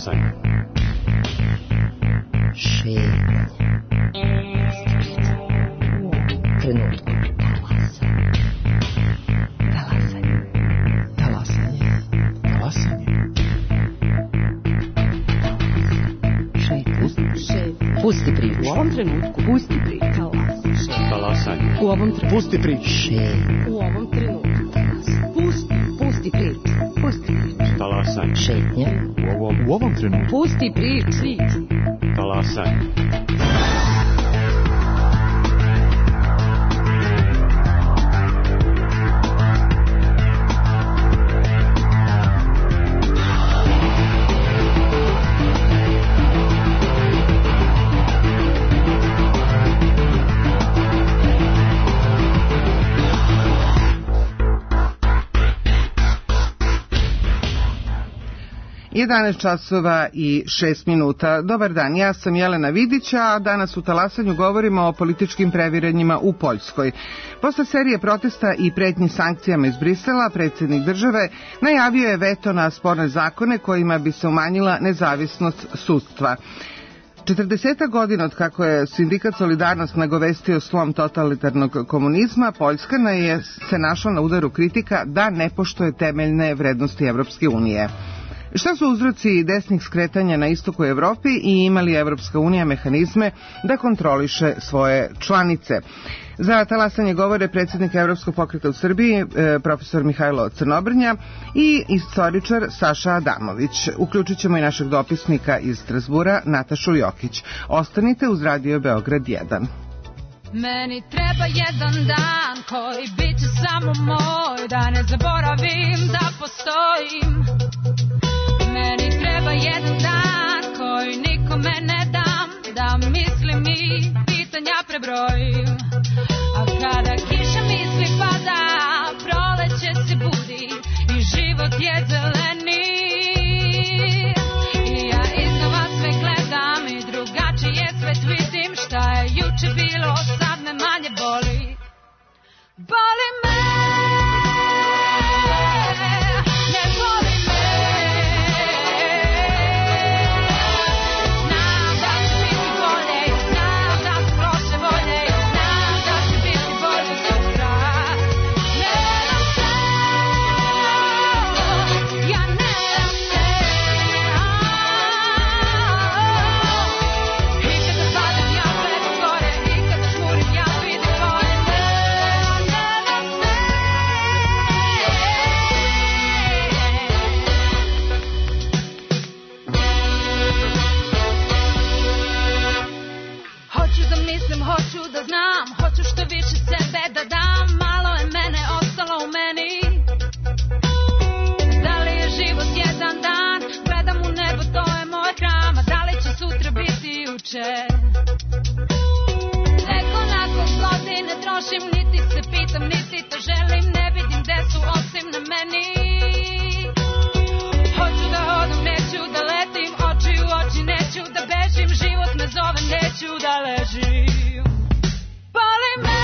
Talasanje. Šetnje. Trenutku. Talasanje. Talasanje. Talasanje. Šetnje. Pusti priču. U ovom trenutku. Pusti priču. Talasanje. U ovom trenutku. Pusti priču. Šetnje. U ovom trenutku. Pusti priču. Pusti priču. Talasanje. Šetnje. U ovom trenutku. Pusti priču. Talasanje. časova i 6 minuta. Dobar dan, ja sam Jelena Vidića, a danas u Talasanju govorimo o političkim previranjima u Poljskoj. Posle serije protesta i pretnji sankcijama iz Brisela, predsjednik države najavio je veto na sporne zakone kojima bi se umanjila nezavisnost sudstva. 40 godina od kako je sindikat Solidarnost nagovestio slom totalitarnog komunizma, Poljska se našla na udaru kritika da ne poštuje temeljne vrednosti Evropske unije. Šta su uzroci desnih skretanja na istoku Evropi i ima li Evropska unija mehanizme da kontroliše svoje članice? Za Talasanje govore predsjednik Evropskog pokreta u Srbiji, profesor Mihajlo Crnobrnja i istoričar Saša Adamović. Uključit ćemo i našeg dopisnika iz Strasbura, Natašu Jokić. Ostanite uz Radio Beograd 1. Meni treba jedan dan koji bit će samo moj, da ne zaboravim da postojim. Meni treba jedan dan koji nikome ne dam, da mislim i pitanja prebrojim. A kada kiša misli pada, proleće se budi i život je zeleni. I ja iznova sve gledam i drugačije svet vidim. Šta je juče bilo, sad me manje boli. Boli me. Hoću da znam, hoću što više sebe da dam. Malo je mene ostalo u meni. Da li je život jedan dan? Gledam u nebo, to je moj hram. A da li će sutra biti juče? Nekoliko godine trošim, niti se pitam, niti to želim. Ne vidim gde su osim na meni. Hoću da hodam, neću da letim. Oči u oči, neću da bežim. Život me zove, neću da ležim. Boli me.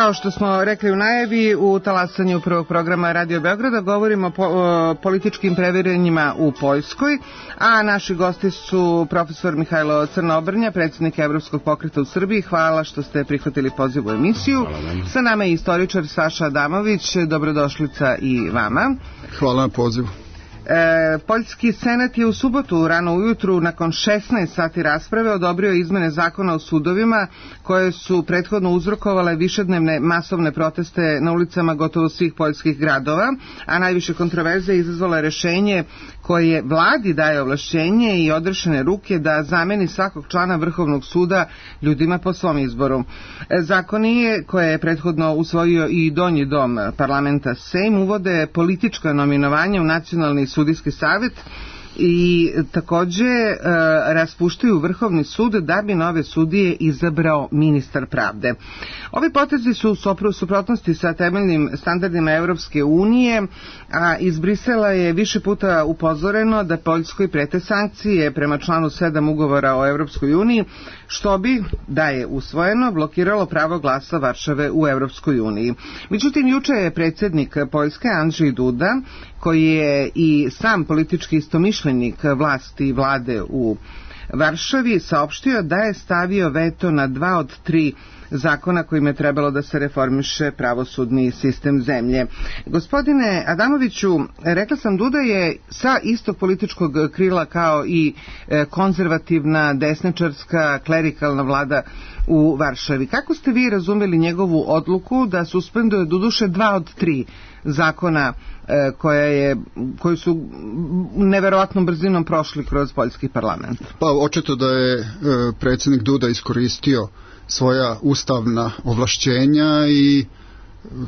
Kao što smo rekli u najavi, u talasanju prvog programa Radio Beograda govorimo o političkim previranjima u Poljskoj, a naši gosti su profesor Mihajlo Crnobrnja, predsjednik Evropskog pokreta u Srbiji. Hvala što ste prihvatili poziv u emisiju. Sa nama je istoričar Saša Adamović. Dobrodošlica i vama. Hvala na pozivu. Poljski senat je u subotu rano ujutru nakon 16 sati rasprave odobrio izmene zakona o sudovima koje su prethodno uzrokovale višednevne masovne proteste na ulicama gotovo svih poljskih gradova, a najviše kontroverze izazvalo je rešenje koje vladi daje ovlašćenje i odrešene ruke da zameni svakog člana Vrhovnog suda ljudima po svom izboru. Zakoni koje je prethodno usvojio i donji dom parlamenta Sejm uvode politička nominovanja u nacionalni sudijski savjet i takođe raspuštaju Vrhovni sud da bi nove sudije izabrao ministar pravde. Ovi potezi su u suprotnosti sa temeljnim standardima Evropske unije, a iz Brisela je više puta upozoreno da Poljskoj prete sankcije prema članu 7 ugovora o Evropskoj uniji, što bi, da je usvojeno, blokiralo pravo glasa Varšave u Evropskoj uniji. Međutim, juče je predsjednik Poljske Andrzej Duda, koji je i sam politički istomišljenik vlasti i vlade u Varšavi, saopštio da je stavio veto na 2 od 3 zakona kojim je trebalo da se reformiše pravosudni sistem zemlje. Gospodine Adamoviću, rekla sam, Duda je sa istog političkog krila kao i konzervativna, desničarska, klerikalna vlada u Varšavi. Kako ste vi razumeli njegovu odluku da suspenduje doduše 2 od 3 zakona koji su neverovatnom brzinom prošli kroz poljski parlament? Pa očito da je predsjednik Duda iskoristio svoja ustavna ovlašćenja i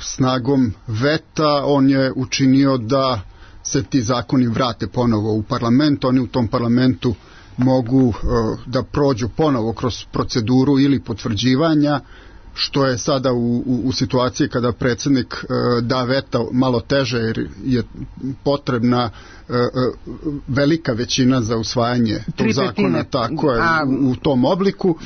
snagom veta on je učinio da se ti zakoni vrate ponovo u parlament. Oni u tom parlamentu mogu da prođu ponovo kroz proceduru ili potvrđivanja, što je sada u situaciji kada predsjednik da veta malo teže jer je potrebna velika većina za usvajanje tog zakona, tako je, u tom obliku,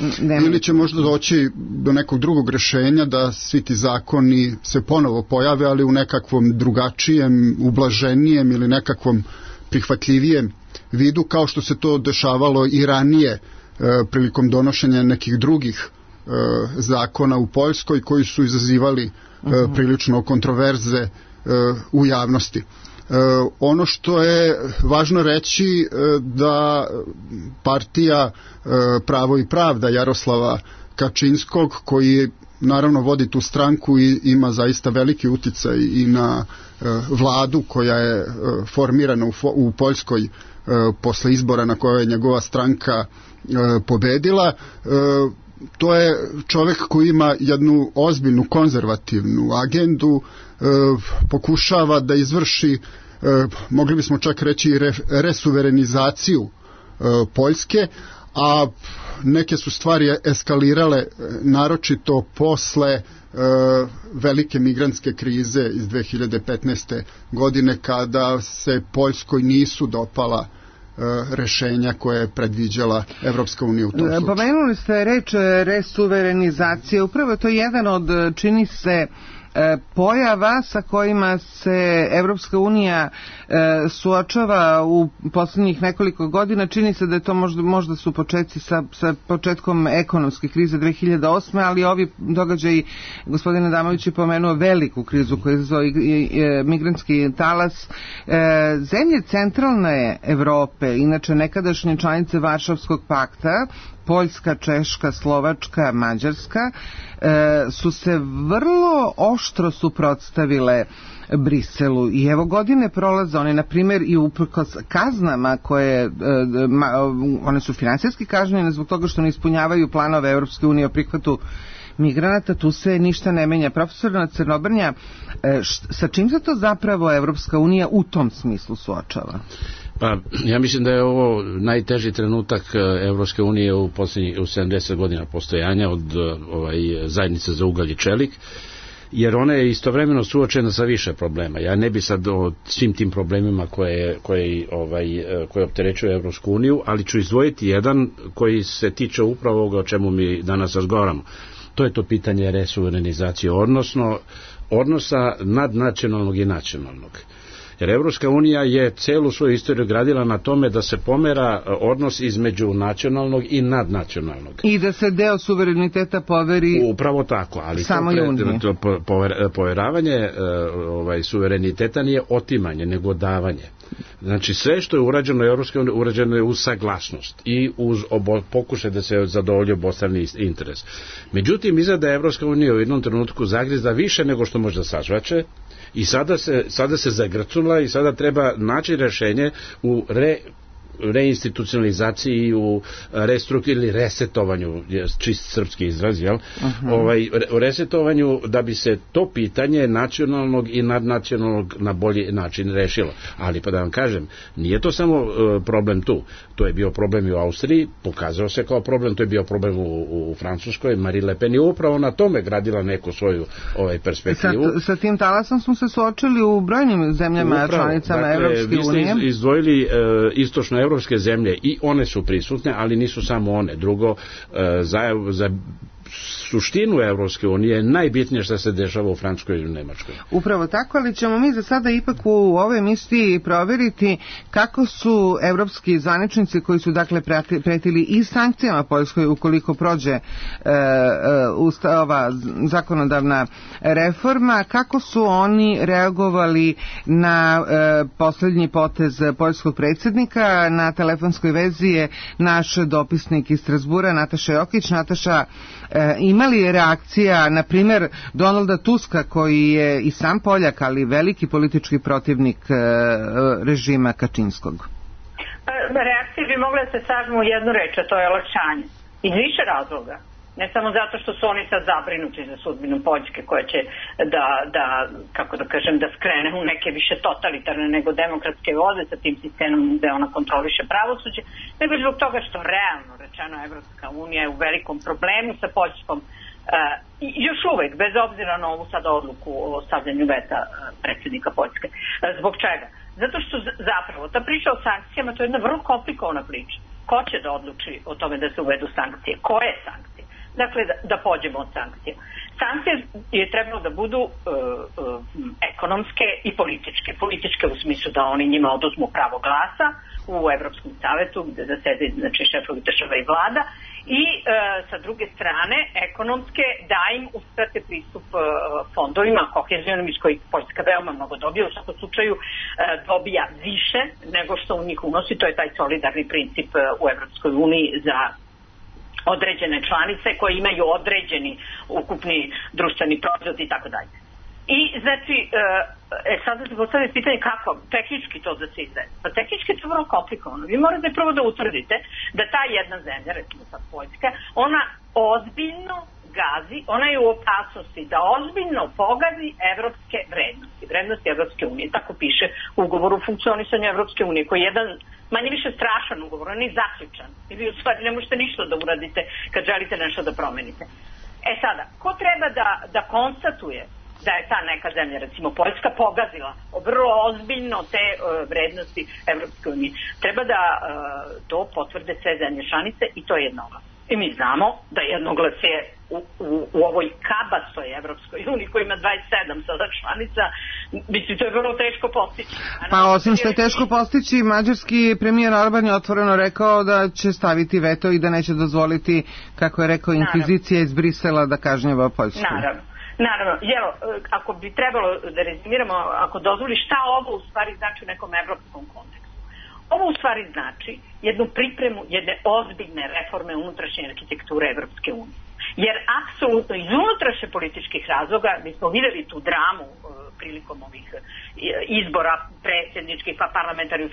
ili će možda doći do nekog drugog rješenja da svi ti zakoni se ponovo pojave, ali u nekakvom drugačijem, ublaženijem ili nekakvom prihvatljivijem vidu, kao što se to dešavalo i ranije prilikom donošenja nekih drugih zakona u Poljskoj koji su izazivali prilično kontroverze u javnosti. Ono što je važno reći da partija Pravo i pravda Jaroslava Kačinskog, koji naravno vodi tu stranku i ima zaista veliki uticaj i na vladu koja je formirana u Poljskoj posle izbora na kojoj je njegova stranka pobedila, to je čovjek koji ima jednu ozbiljnu konzervativnu agendu, pokušava da izvrši, mogli bismo čak reći, resuverenizaciju Poljske, a neke su stvari eskalirale naročito posle velike migrantske krize iz 2015. godine, kada se Poljskoj nisu dopala rešenja koje je predviđala Evropska unija u tom slučaju. Pomenuli ste reč resuverenizacije. Upravo je to jedan od, čini se, pojava sa kojima se Evropska unija suočava u posljednjih nekoliko godina. Čini se da je to možda su početci sa početkom ekonomske krize 2008. ali ovi događaji, gospodin Adamović je pomenuo veliku krizu koju je izazvao migrantski talas. Zemlje centralne Evrope, inače nekadašnje članice Varšavskog pakta, Poljska, Češka, Slovačka, Mađarska, su se vrlo oštro suprotstavile Briselu i evo godine prolaze, one na primjer i uprkos kaznama koje, one su finansijski kažnjene zbog toga što ne ispunjavaju planove Evropske unije o prihvatu migranata, tu se ništa ne menja. Profesor Crnobrnja, sa čim se to zapravo Evropska unija u tom smislu suočava? Pa, ja mislim da je ovo najteži trenutak Evropske unije u 70 godina postojanja od zajednice za ugalj i čelik, jer ona je istovremeno suočena sa više problema. Ja ne bi sad o svim tim problemima koje opterećuju Evropsku uniju, ali ću izdvojiti jedan koji se tiče upravo ovoga o čemu mi danas razgovaramo. to je to pitanje resuverenizacije, odnosno odnosa nadnacionalnog i nacionalnog. Jer Evropska unija je celu svoju istoriju gradila na tome da se pomera odnos između nacionalnog i nadnacionalnog. I da se deo suvereniteta poveri upravo tako, ali to poveravanje suvereniteta nije otimanje, nego davanje. Znači sve što je urađeno u Evropskoj uniji urađeno je uz saglasnost i uz pokušaj da se zadovolji obostrani interes. Međutim, izgleda Evropska unija u jednom trenutku zagrizla više nego što može da sažvače i sada se zagrcula i sada treba naći rešenje u reinstitucionalizaciji, u ili resetovanju, čist srpski izraz, jel? U resetovanju da bi se to pitanje nacionalnog i nadnacionalnog na bolji način rešilo. Ali pa da vam kažem, nije to samo problem tu. To je bio problem i u Austriji, pokazao se kao problem, to je bio problem u Francuskoj. Marine Le Pen je upravo na tome gradila neku svoju perspektivu. Sa tim talasom smo se suočili u brojnim zemljama, članicama Evropske unije. Vi ste izdvojili istočno evropske zemlje i one su prisutne, ali nisu samo one. Drugo, za suštinu Evropske unije je najbitnije što se dešava u Francuskoj i u Nemačkoj. Upravo tako, ali ćemo mi za sada ipak u ovoj emisiji proveriti kako su evropski zvaničnici koji su dakle pretili i sankcijama Poljskoj ukoliko prođe ova zakonodavna reforma, kako su oni reagovali na poslednji potez poljskog predsjednika. Na telefonskoj vezi je naš dopisnik iz Strasbura, Nataša Jokić. Nataša, ima li reakcija, na primjer, Donalda Tuska, koji je i sam Poljak, ali veliki politički protivnik režima Kačinskog? Reakcije bi mogle da se sažmu u jednu reč, a to je olakšanje. Iz više razloga. Ne samo zato što su oni sad zabrinuti za sudbinu Poljske koja će da skrene u neke više totalitarne nego demokratske vode sa tim sistemom gde ona kontroliše pravosuđe, nego zbog toga što realno rečeno Evropska unija je u velikom problemu sa Poljskom još uvek, bez obzira na ovu sad odluku o stavljanju veta predsjednika Poljske. Zbog čega? Zato što zapravo ta priča o sankcijama to je jedna vrlo komplikovana priča. Ko će da odluči o tome da se uvedu sankcije? Koje sankcije? Dakle, da pođemo od sankcija. Sankcije je trebalo da budu ekonomske i političke. Političke u smislu da oni njima oduzmu pravo glasa u Evropskom savetu gde zasede šefovi država i vlada i sa druge strane ekonomske da im uskrate pristup fondovima kohezionim iz kojih Poljska veoma mnogo dobija, u svakom slučaju dobija više nego što u njih unosi. To je taj solidarni princip u Evropskoj uniji za određene članice koje imaju određeni ukupni društveni proizvod i tako dalje. I znači, sada se postavlja pitanje kako tehnički to da se izvede. Pa tehnički je to vrlo komplikovano. Vi morate prvo da utvrdite da ta jedna zemlja, recimo sad Poljska, ona ozbiljno gazi, ona je u opasnosti da ozbiljno pogazi evropske vrednosti Evropske unije. Tako piše u ugovoru o funkcionisanju Evropske unije, koji je jedan manje više strašan ugovor, on je zaključan. I vi u stvari ne možete ništa da uradite kad želite nešto da promenite. Sada, ko treba da konstatuje da je ta neka zemlja, recimo Poljska, pogazila vrlo ozbiljno te vrednosti Evropske unije? Treba da to potvrde sve zemlje članice i to je jednoglasno. I mi znamo da jednoglas je u ovoj kabastoj Evropskoj uniji koja ima 27 sada članica, mislim, to je vrlo teško postići. Pa osim što je teško postići, mađarski premijer Orban je otvoreno rekao da će staviti veto i da neće dozvoliti, kako je rekao, inkvizicija iz Brisela da kažnjava Poljsku. Naravno, ako bi trebalo da rezimiramo, ako dozvoli šta ovo u stvari znači u nekom evropskom kontekstu. Ovo u stvari znači jednu pripremu jedne ozbiljne reforme unutrašnje arhitekture Evropske unije. Jer apsolutno iz unutrašnje političkih razloga, mi smo videli tu dramu prilikom ovih izbora predsjedničkih pa parlamentarnih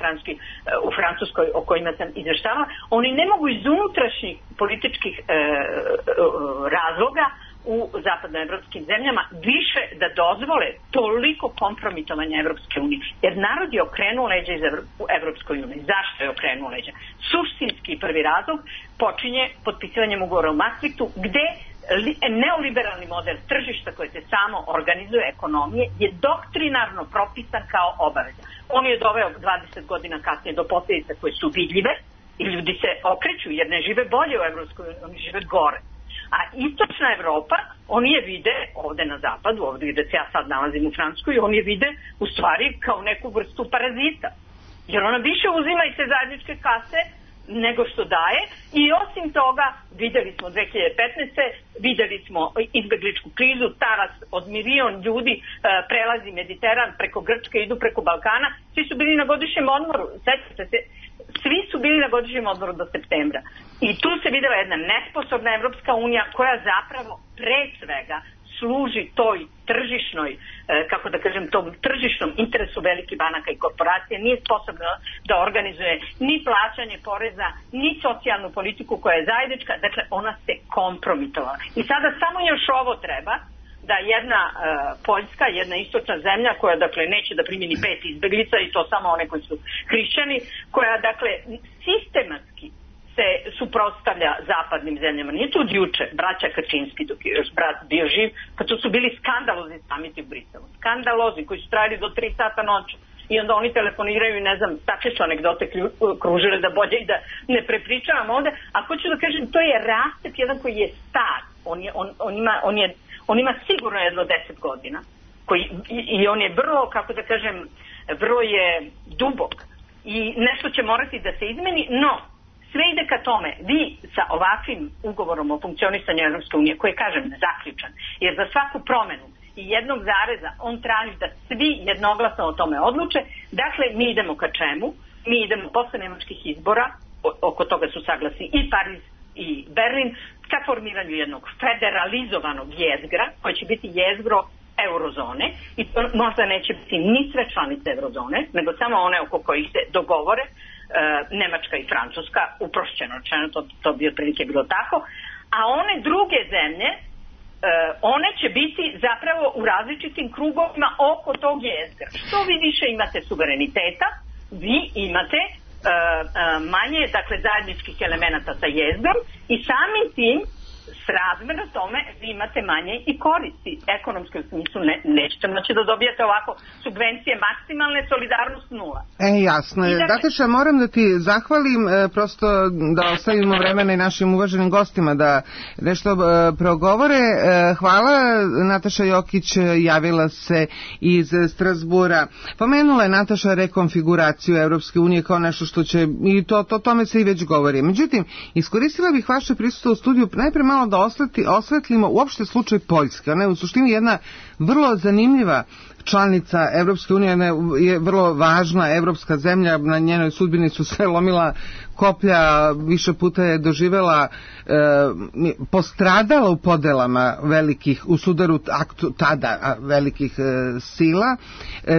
u Francuskoj o kojima sam izveštavala, oni ne mogu iz unutrašnjih političkih razloga u zapadnoevropskim zemljama više da dozvole toliko kompromitovanja Evropske unije. Jer narod je okrenuo leđa iz Evropskoj uniji. Zašto je okrenuo leđa? Suštinski prvi razlog počinje potpisivanjem ugovora u Maastrichtu, gde neoliberalni model tržišta koje se samo organizuje ekonomije je doktrinarno propisan kao obaveza. On je doveo 20 godina kasnije do posljedica koje su vidljive i ljudi se okreću jer ne žive bolje u Evropskoj uniji, oni žive gore. A istočna Evropa, oni je vide ovde na zapadu, ovde gde se ja sad nalazim u Francuskoj, oni je vide u stvari kao neku vrstu parazita. Jer ona više uzima iz te zajedničke kase nego što daje i osim toga videli smo 2015. videli smo izbegličku krizu, taras od milion ljudi prelazi Mediteran preko Grčke, idu preko Balkana, svi su bili na godišnjem odmoru, sećate se, svi su bili na godišnjem odmoru do septembra. I tu se videla jedna nesposobna Evropska unija koja zapravo pre svega služi toj tržišnoj, kako da kažem, tom tržišnom interesu velikih banaka i korporacije, nije sposobna da organizuje ni plaćanje poreza, ni socijalnu politiku koja je zajednička, dakle ona se kompromitovala. I sada samo još ovo treba, da jedna Poljska, jedna istočna zemlja koja dakle neće da primi ni 5 izbeglica i to samo one koji su hrišćani, koja dakle sistematski se suprotstavlja zapadnim zemljama. Nije to od juče, braća Kačinski dok je još brat bio živ, kad su bili skandalozni samiti u Briselu. Skandalozni koji su trajali do 3 sata noću. I onda oni telefoniraju i ne znam, takve su anegdote kružile da bolje i da ne prepričavam ovde. A hoću da kažem, to je Rastet jedan koji je star. On ima sigurno jedno 10 godina. I on je vrlo, kako da kažem, vrlo je dubok. I nešto će morati da se izmeni, no sve ide ka tome, vi sa ovakvim ugovorom o funkcionisanju Evropske unije, koji je, kažem, zaključan, jer za svaku promenu i jednog zareza on traži da svi jednoglasno o tome odluče, dakle, mi idemo ka čemu? Mi idemo posle nemačkih izbora, oko toga su saglasni i Pariz i Berlin, ka formiranju jednog federalizovanog jezgra, koji će biti jezgro eurozone, i to možda neće biti ni sve članice eurozone, nego samo one oko kojih se dogovore, Nemačka i Francuska, uprošćeno rečeno, to bi otprilike bilo tako, a one druge zemlje, one će biti zapravo u različitim krugovima oko tog jezgra. Što vi više imate suvereniteta, vi imate manje, dakle, zajedničkih elemenata sa jezgrom i samim tim srazmerno tome vi imate manje i koristi ekonomske u smislu, nećete moći da dobijete ovako subvencije maksimalne, solidarnost nula. Jasno je. Nataša, moram da ti zahvalim, prosto da ostavimo vremena i našim uvaženim gostima da nešto progovore. Hvala. Nataša Jokić javila se iz Strasbura. Pomenula je Nataša rekonfiguraciju Evropske unije kao nešto što će, i tome se i već govori. Međutim, iskoristila bih vaše prisustvo u studiju najpre malo da osvetlimo uopšte slučaj Poljske. Ona je u suštini jedna vrlo zanimljiva članica Evropske unije, je vrlo važna evropska zemlja, na njenoj sudbini su se lomila koplja, više puta je doživela, postradala u podelama velikih, u sudaru tada velikih sila.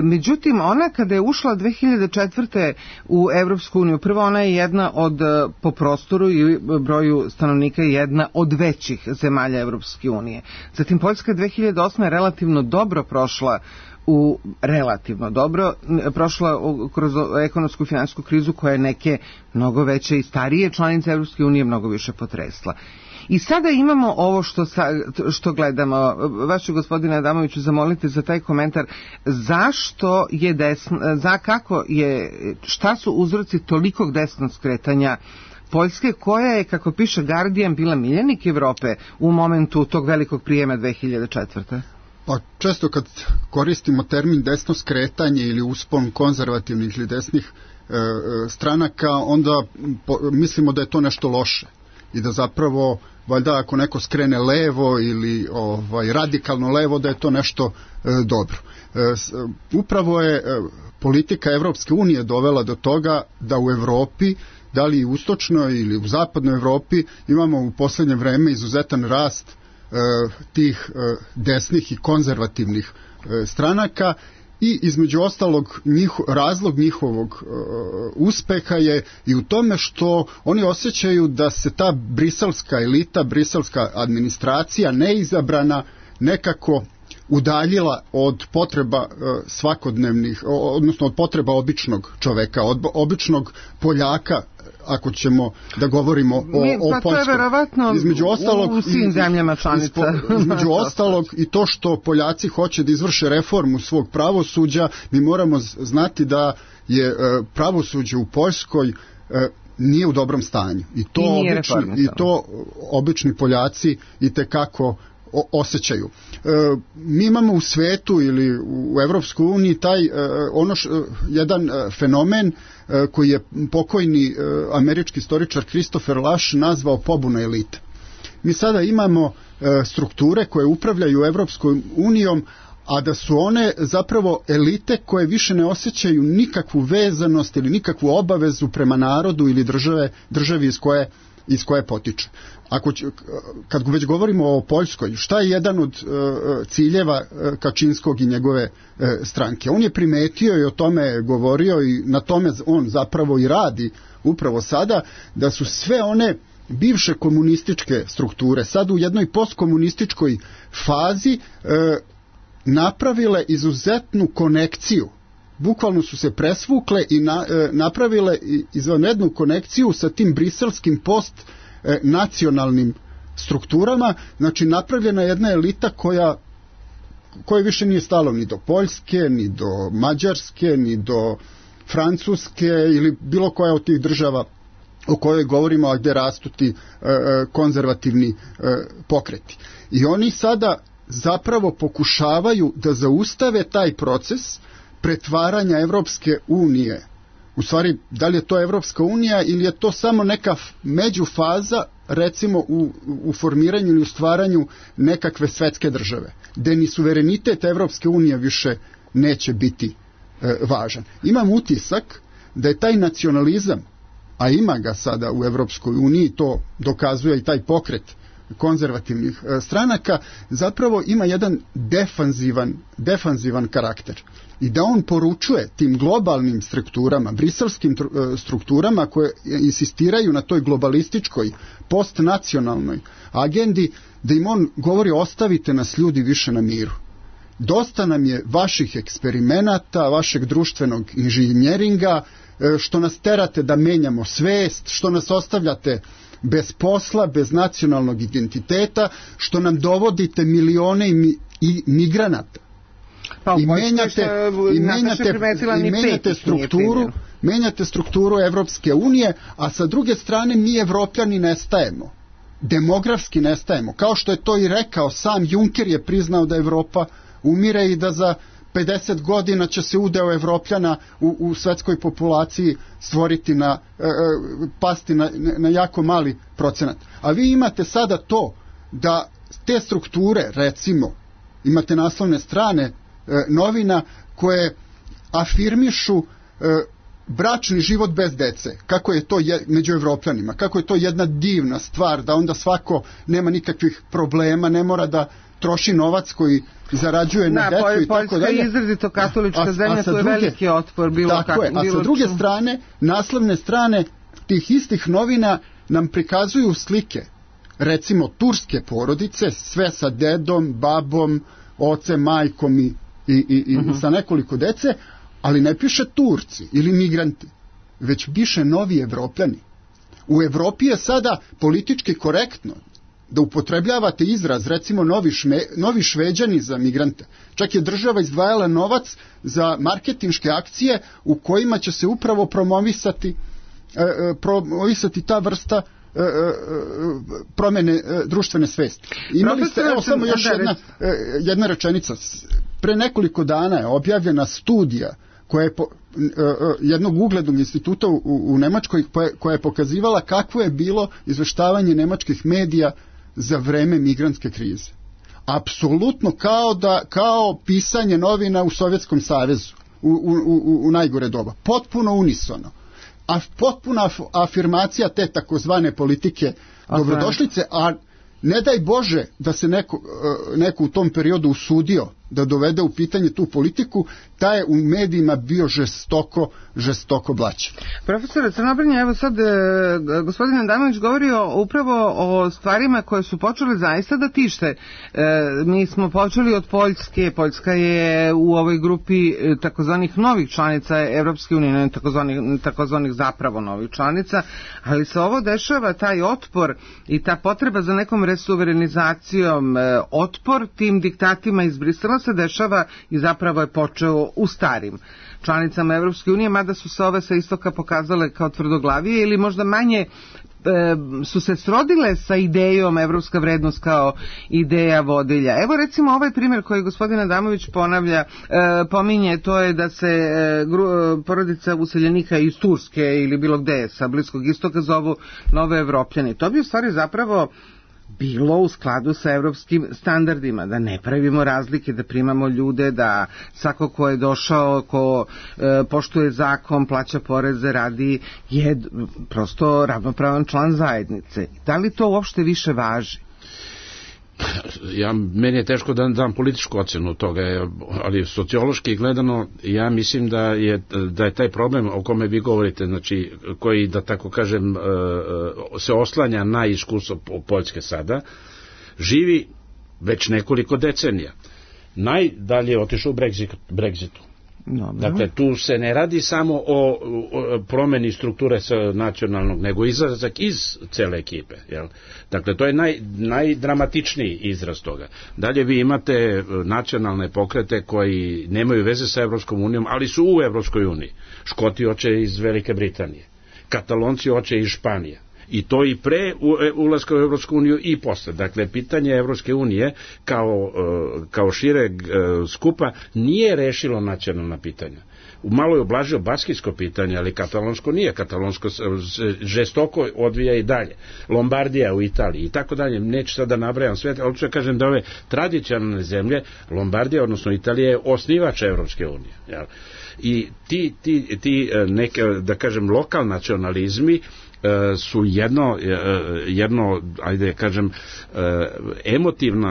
Međutim, ona kada je ušla 2004. u Evropsku uniju, prvo ona je jedna od, po prostoru i broju stanovnika, jedna od većih zemalja Evropske unije. Zatim Poljska 2008. je relativno dobro prošla prošla kroz ekonomsku i finansijsku krizu koja je neke mnogo veće i starije članice Evropske unije mnogo više potresla. I sada imamo ovo što gledamo. Vas ću, gospodine Adamoviću, zamolite za taj komentar. Zašto je šta su uzroci tolikog desnog skretanja Poljske, koja je, kako piše Guardian, bila miljenik Evrope u momentu tog velikog prijema 2004. Pa često kad koristimo termin desno skretanje ili uspon konzervativnih ili desnih stranaka, onda mislimo da je to nešto loše i da zapravo, valjda, ako neko skrene levo ili radikalno levo, da je to nešto dobro. Upravo je politika Evropske unije dovela do toga da u Evropi, da li u istočnoj ili u zapadnoj Evropi, imamo u poslednje vreme izuzetan rast tih desnih i konzervativnih stranaka i između ostalog razlog njihovog uspeha je i u tome što oni osjećaju da se ta briselska elita, briselska administracija neizabrana nekako udaljila od potreba svakodnevnih, odnosno od potreba običnog čoveka, od običnog Poljaka, ako ćemo da govorimo o Poljskoj. To je verovatno u svim zemljama članica. Između ostalog i to što Poljaci hoće da izvrše reformu svog pravosuđa, mi moramo znati da je pravosuđe u Poljskoj nije u dobrom stanju. I to obični Poljaci itekako osjećaju. Mi imamo u svetu ili u Evropskoj uniji jedan fenomen koji je pokojni američki istoričar Christopher Lasch nazvao pobuna elite. Mi sada imamo strukture koje upravljaju Evropskom unijom, a da su one zapravo elite koje više ne osjećaju nikakvu vezanost ili nikakvu obavezu prema narodu ili državi iz koje potiče. Kad već govorimo o Poljskoj, šta je jedan od ciljeva Kačinskog i njegove stranke? On je primetio i o tome govorio i na tome on zapravo i radi upravo sada, da su sve one bivše komunističke strukture sad u jednoj postkomunističkoj fazi napravile izuzetnu konekciju. Bukvalno su se presvukle i napravile izvanrednu konekciju sa tim briselskim nacionalnim strukturama. Znači napravljena jedna elita koja više nije stalo ni do Poljske, ni do Mađarske, ni do Francuske ili bilo koja od tih država o kojoj govorimo, a gdje rastu ti konzervativni pokreti. I oni sada zapravo pokušavaju da zaustave taj proces pretvaranja Evropske unije. U stvari, da li je to Evropska unija ili je to samo neka međufaza, recimo u formiranju ili u stvaranju nekakve svetske države, gde ni suverenitet Evropske unije više neće biti važan. Imam utisak da je taj nacionalizam, a ima ga sada u Evropskoj uniji, to dokazuje i taj pokret konzervativnih stranaka, zapravo ima jedan defanzivan karakter. I da on poručuje tim globalnim strukturama, briselskim strukturama koje insistiraju na toj globalističkoj, postnacionalnoj agendi, da im on govori ostavite nas ljudi više na miru. Dosta nam je vaših eksperimenata, vašeg društvenog inženjeringa, što nas terate da menjamo svest, što nas ostavljate bez posla, bez nacionalnog identiteta, što nam dovodite milione migranata. I menjate strukturu Evropske unije, a sa druge strane mi Evropljani nestajemo. Demografski nestajemo. Kao što je to i rekao, sam Juncker je priznao da Evropa umire i da za 50 godina će se udeo Evropljana u svetskoj populaciji stvoriti pasti na jako mali procenat. A vi imate sada to da te strukture, recimo, imate naslovne strane novina koje afirmišu bračni život bez dece, kako je to među Evropljanima, kako je to jedna divna stvar, da onda svako nema nikakvih problema, ne mora da troši novac koji zarađuje na decu i tako dalje. Poljska je izrazito katolička zemlja, tu je veliki otpor. A sa druge strane, naslovne strane tih istih novina nam prikazuju slike, recimo turske porodice, sve sa dedom, babom, ocem, majkom i sa nekoliko dece, ali ne piše Turci ili migranti, već piše novi Evropljani. U Evropi je sada politički korektno da upotrebljavate izraz, recimo novi Šveđani za migrante. Čak je država izdvajala novac za marketinške akcije u kojima će se upravo promovisati ta vrsta promjene društvene svesti. Imali ste, evo samo još jedna rečenica. Pre nekoliko dana je objavljena studija koja je jednog uglednog instituta u Nemačkoj koja je pokazivala kakvo je bilo izveštavanje nemačkih medija za vreme migrantske krize. Apsolutno kao pisanje novina u Sovjetskom savezu u najgore doba. Potpuno unisono. A potpuna afirmacija te takozvane politike dobrodošlice, a ne daj Bože da se neko u tom periodu usudio da dovede u pitanje tu politiku, taj je u medijima bio žestoko blaćen. Profesore Crnobrnja, evo sad gospodin Adamanović govorio upravo o stvarima koje su počele zaista da tište. Mi smo počeli od Poljske. Poljska je u ovoj grupi takozvanih novih članica Evropske unije, ne takozvanih zapravo novih članica, ali se ovo dešava, taj otpor i ta potreba za nekom resuverenizacijom, otpor tim diktatima iz Brisela se dešava i zapravo je počeo u starim članicama Evropske unije, mada su se ove sa istoka pokazale kao tvrdoglavije ili možda manje su se srodile sa idejom evropska vrednost kao ideja vodilja. Evo recimo ovaj primjer koji gospodin Adamović pominje, to je da se porodica useljenika iz Turske ili bilo gde sa Bliskog istoka zovu nove Evropljani. To bi u stvari zapravo bilo u skladu sa evropskim standardima, da ne pravimo razlike, da primamo ljude, da svako ko je došao, ko poštuje zakon, plaća poreze, radi, je prosto ravnopravan član zajednice. Da li to uopšte više važi? Meni je teško da dam političku ocenu toga, ali sociološki gledano ja mislim da je taj problem o kome vi govorite, znači koji, da tako kažem, se oslanja na iskustvo Poljske sada, živi već nekoliko decenija. Najdalje je otišao u Brexitu. Dobre. Dakle, tu se ne radi samo o promeni strukture nacionalnog, nego izlazak iz cele ekipe. Jel? Dakle, to je najdramatičniji izraz toga. Dalje vi imate nacionalne pokrete koji nemaju veze sa Evropskom unijom, ali su u Evropskoj uniji. Škoti hoće iz Velike Britanije, Katalonci hoće iz Španije. I to i pre ulaska u Evropsku uniju i posle. Dakle, pitanje Evropske unije kao šireg skupa nije rešilo nacionalna pitanja. Malo je oblažio baskijsko pitanje, ali katalonsko nije. Katalonsko žestoko odvija i dalje. Lombardija u Italiji i tako dalje. Neću sad da nabrajam sve, ali ću kažem da ove tradicionalne zemlje, Lombardija, odnosno Italija, je osnivač Evropske unije. Jel? I ti neke, da kažem, lokal nacionalizmi su jedno, ajde kažem,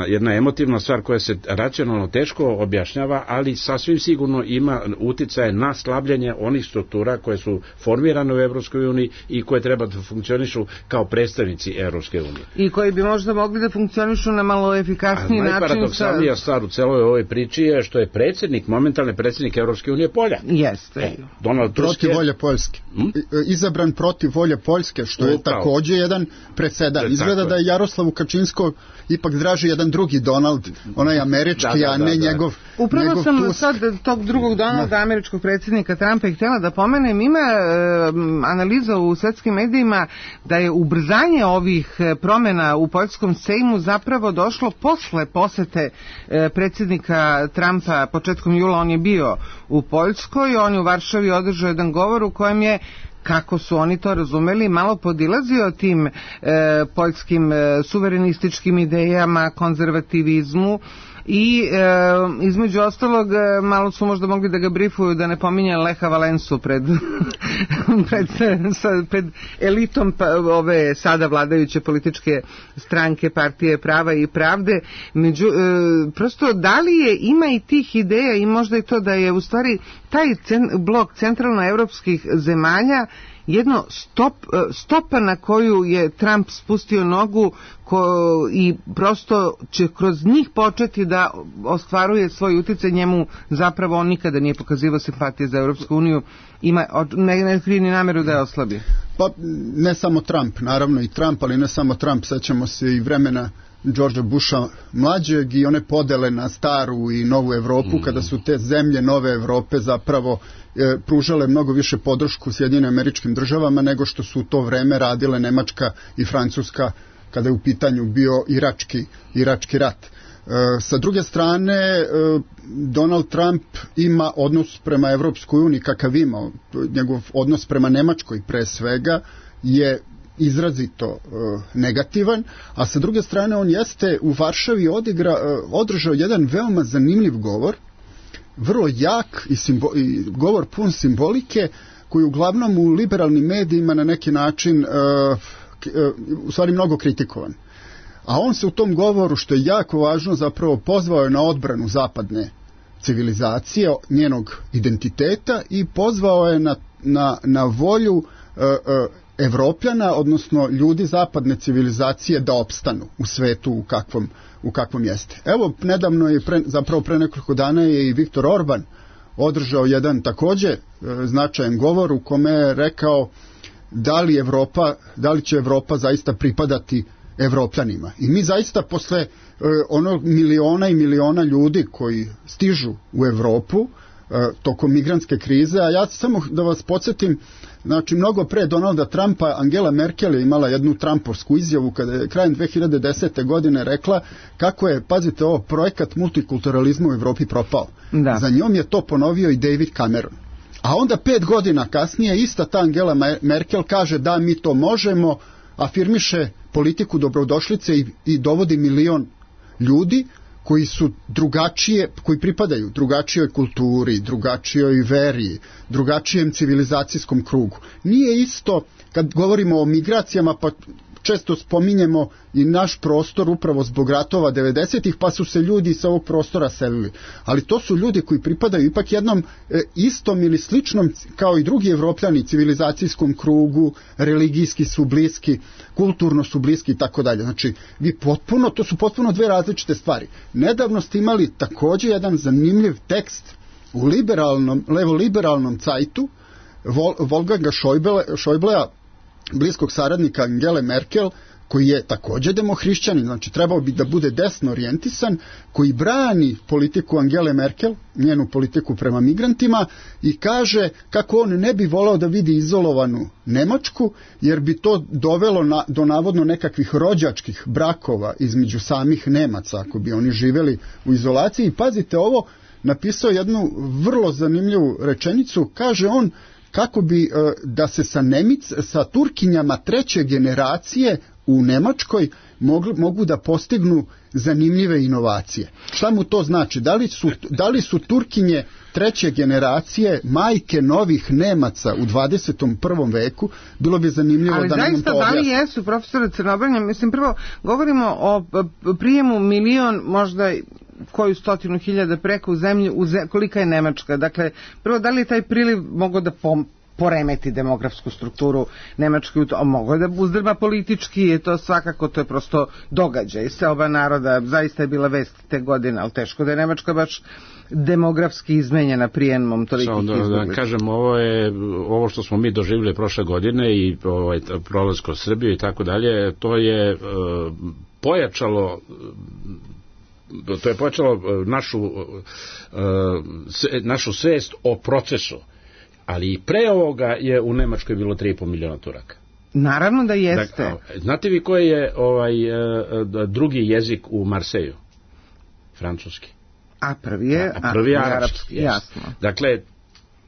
jedna emotivna stvar koja se racionalno teško objašnjava, ali sasvim sigurno ima uticaje na slabljenje onih struktura koje su formirane u Evropskoj uniji i koje treba da funkcionišu kao predstavnici Evropske unije. I koji bi možda mogli da funkcionišu na malo efikasniji način. Najparadoksalnija stvar u celoj ovoj priči je što je momentalni predsjednik Evropske unije Polja. Jeste. Donald Tusk protiv volje Poljske. Izabran protiv volje Poljske, što je takođe jedan presedan. Izgleda da je Jaroslavu Kačinskog ipak draži jedan drugi Donald, onaj američki, a ne njegov. Upravo sam sad tog drugog Donalda, američkog predsjednika Trumpa, i htjela da pomenem, ima analiza u svetskim medijima da je ubrzanje ovih promjena u poljskom sejmu zapravo došlo posle posete predsjednika Trumpa početkom jula. On je bio u Poljskoj, on je u Varšavi održao jedan govor u kojem je, kako su oni to razumeli, malo podilazio tim poljskim suverenističkim idejama, konzervativizmu i između ostalog malo su možda mogli da ga brifuju da ne pominje Leha Valensu pred elitom ove sada vladajuće političke stranke Partije prava i pravde. Prosto da li ima i tih ideja i možda i to da je u stvari taj blok centralnoevropskih zemalja jedno stopa na koju je Trump spustio nogu i prosto će kroz njih početi da ostvaruje svoj uticaj. Njemu zapravo on nikada nije pokazivao simpatije za Evropsku uniju, ne krije ni nameru da je oslabi. Pa ne samo Trump, naravno i Trump, ali ne samo Trump, sećamo se i vremena Georgea Busha mlađeg i one podele na staru i novu Evropu, kada su te zemlje nove Evrope zapravo pružale mnogo više podršku Sjedinjenim Američkim Državama nego što su u to vreme radile Nemačka i Francuska kada je u pitanju bio Irački rat. Sa druge strane, Donald Trump ima odnos prema Evropskoj uniji kakav ima, njegov odnos prema Nemačkoj pre svega je izrazito negativan, a sa druge strane on jeste u Varšavi održao jedan veoma zanimljiv govor, vrlo jak i govor pun simbolike, koji uglavnom u liberalnim medijima na neki način u stvari mnogo kritikovan. A on se u tom govoru, što je jako važno, zapravo pozvao je na odbranu zapadne civilizacije, njenog identiteta, i pozvao je na volju Evropljana, odnosno ljudi zapadne civilizacije, da opstanu u svetu u kakvom jeste. Evo, nedavno je, zapravo pre nekoliko dana je i Viktor Orban održao jedan takođe značajan govor u kome je rekao da li će Evropa zaista pripadati Evropljanima. I mi zaista posle miliona i miliona ljudi koji stižu u Evropu, tokom migrantske krize, a ja samo da vas podsjetim, znači mnogo pre Donalda Trumpa Angela Merkel je imala jednu Trumpovsku izjavu kada je krajem 2010. godine rekla kako je, pazite ovo, projekat multikulturalizma u Evropi propao. Da. Za njom je to ponovio i David Cameron. A onda 5 godina kasnije ista ta Angela Merkel kaže da mi to možemo, afirmiše politiku dobrodošlice i dovodi 1 milion ljudi koji su drugačije, koji pripadaju drugačijoj kulturi, drugačijoj veri, drugačijem civilizacijskom krugu. Nije isto kad govorimo o migracijama, pa često spominjemo i naš prostor upravo zbog ratova 90-ih, pa su se ljudi sa ovog prostora selili. Ali to su ljudi koji pripadaju ipak jednom istom ili sličnom, kao i drugi Evropljani, civilizacijskom krugu, religijski su bliski, kulturno su bliski i tako dalje. Znači, to su potpuno dve različite stvari. Nedavno ste imali također jedan zanimljiv tekst u levo-liberalnom cajtu Wolfganga Schäublea, bliskog saradnika Angele Merkel, koji je također demohrišćanin, znači trebao bi da bude desno orijentisan, koji brani politiku Angele Merkel, njenu politiku prema migrantima, i kaže kako on ne bi volao da vidi izolovanu Nemačku, jer bi to dovelo do navodno nekakvih rođačkih brakova između samih Nemaca, ako bi oni živeli u izolaciji. I pazite ovo, napisao jednu vrlo zanimljivu rečenicu, kaže on kako bi da se sa Turkinjama 3. generacije u Nemačkoj mogu da postignu zanimljive inovacije. Šta mu to znači? Da li su Turkinje 3. generacije majke novih Nemaca u 21. veku? Bilo bi zanimljivo da nam to objasni. Ali zaista, da li jesu, profesore Crnobranja? Mislim, prvo govorimo o prijemu 1 milion, možda koju 100.000 preko u zemlju, kolika je Nemačka. Dakle, prvo, da li je taj priliv mogao da poremeti demografsku strukturu Nemačke, mogao da uzdrma politički, je to svakako, to je prosto događaj. Seoba naroda, zaista je bila vest te godine, ali teško da je Nemačka baš demografski izmenjena prijemom tolikih izbjeglica. Da kažem, ovo što smo mi doživjeli prošle godine i prolaz kroz Srbiju i tako dalje, to je pojačalo našu svest o procesu. Ali i pre ovoga je u Nemačkoj bilo 3,5 miliona Turaka. Naravno da jeste. Znate vi koji je drugi jezik u Marseju? Francuski. A prvi je arapski. Jasno. Dakle,